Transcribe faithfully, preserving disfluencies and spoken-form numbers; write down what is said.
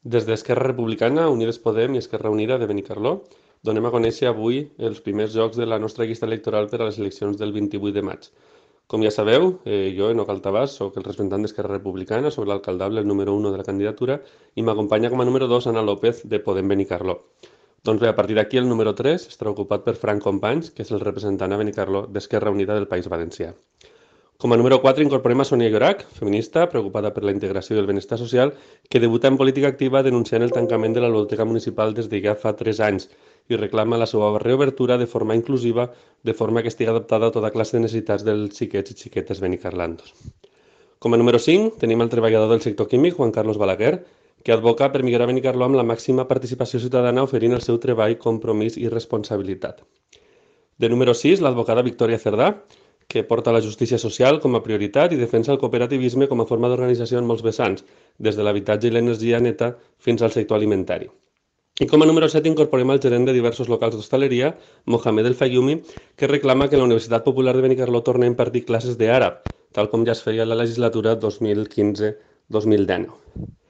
Des d'Esquerra Republicana, Unides Podem i Esquerra Unida de Benicarló, donem a conèixer avui els primers jocs de la nostra llista electoral per a les eleccions del vint-i-vuit de maig. Com ja sabeu, eh, jo, Enoch Altabàs, soc el representant d'Esquerra Republicana, soc l'alcaldable, el número uno de la candidatura, i m'acompanya com a número dos Ana López, de Podem Benicarló. Doncs bé, a partir d'aquí el número tres estarà ocupat per Frank Companys, que és el representant a Benicarló d'Esquerra Unida del País Valencià. Com a número quatre incorporem a Sonia Llorac, feminista, preocupada per la integració i el benestar social, que debuta en política activa denunciant el tancament de la biblioteca municipal des de ja fa tres anys i reclama la seva reobertura de forma inclusiva, de forma que estigui adaptada a tota classe de necessitats dels xiquets i xiquetes benicarlandos. Com a número cinc tenim el treballador del sector químic, Juan Carlos Balaguer, que advoca per millorar Benicarló amb la màxima participació ciutadana oferint el seu treball, compromís i responsabilitat. De número sis, l'advocada Victòria Cerdà, que porta la justícia social com a prioritat i defensa el cooperativisme com a forma d'organització en molts vessants, des de l'habitatge i l'energia neta fins al sector alimentari. I com a número set incorporem el gerent de diversos locals d'hostaleria, Mohamed El Fayumi, que reclama que la Universitat Popular de Benicarló torni a impartir classes d'àrab, tal com ja es feia en la legislatura dos mil quinze dos mil dinou.